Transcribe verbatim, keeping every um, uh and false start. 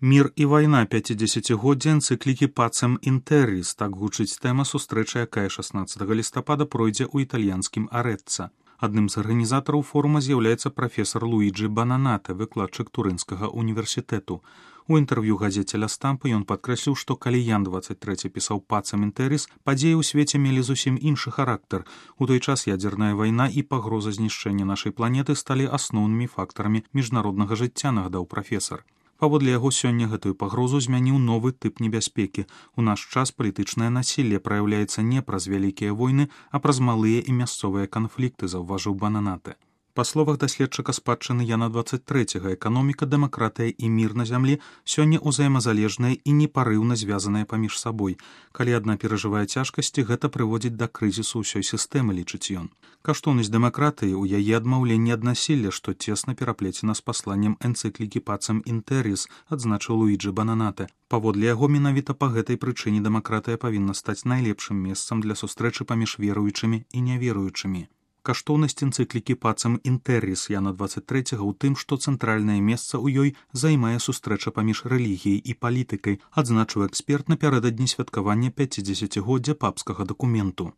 Мір і вайна пяцідзесяцігоддзя энцыклікі «Пацем інтэрріс» – так гучыць тэма сустрэчы, якая шаснаццатага лістапада пройдзе ў італьянскім Арэцца. Адным з арганізатараў форума з'яўляецца прафесар Луіджі Бананатэ, выкладчык Турынскага універсітэту. У інтэрв'ю газеце «Ля Стампа» ён падкрэсліў, што калі Ян дваццаць трэці пісаў «Пацем інтэрріс», падзеі ў свеце мелі зусім іншы характар. У той час ядзерная вайна і пагроза знішчэння нашай планеты сталі асноўнымі фактарамі міжнароднага жыцця, нагадаў прафесар. Паводле яго, сёння гэтую пагрозу змяніў новы тып небяспекі. У наш час палітычнае насілле праяўляецца не праз вялікія войны, а праз малыя і мясцовыя канфлікты, заўважыў Бананатэ. Па словах даследчыка спадчыны Яна дваццаць трэцяга, эканоміка, дэмакратыя і мір на зямлі сёння ўзаемазалежныя і непарыўна звязаныя паміж сабой. Калі адна перажывае цяжкасці, гэта прыводзіць да крызісу ўсёй сістэмы, лічыць ён. Каштоўнасць дэмакратыі ў яе адмаўленні ад насілля, што цесна пераплецена з пасланнем энцыклікі «Пацем інтэрріс», адзначыў Луіджі Бананатэ. Паводле яго, менавіта па гэтай прычыне дэмакратыя павінна стаць найлепшым месцам для сустрэчы паміж веруючымі і няверуючымі. Каштоўнасць энцыклікі «Пацем інтэрріс» Яна дваццаць трэцяга ў тым, што цэнтральнае месца ў ёй займае сустрэча паміж рэлігіяй і палітыкай, адзначыў эксперт напярэдадні святкавання пяцідзесяцігоддзя папскага дакументу.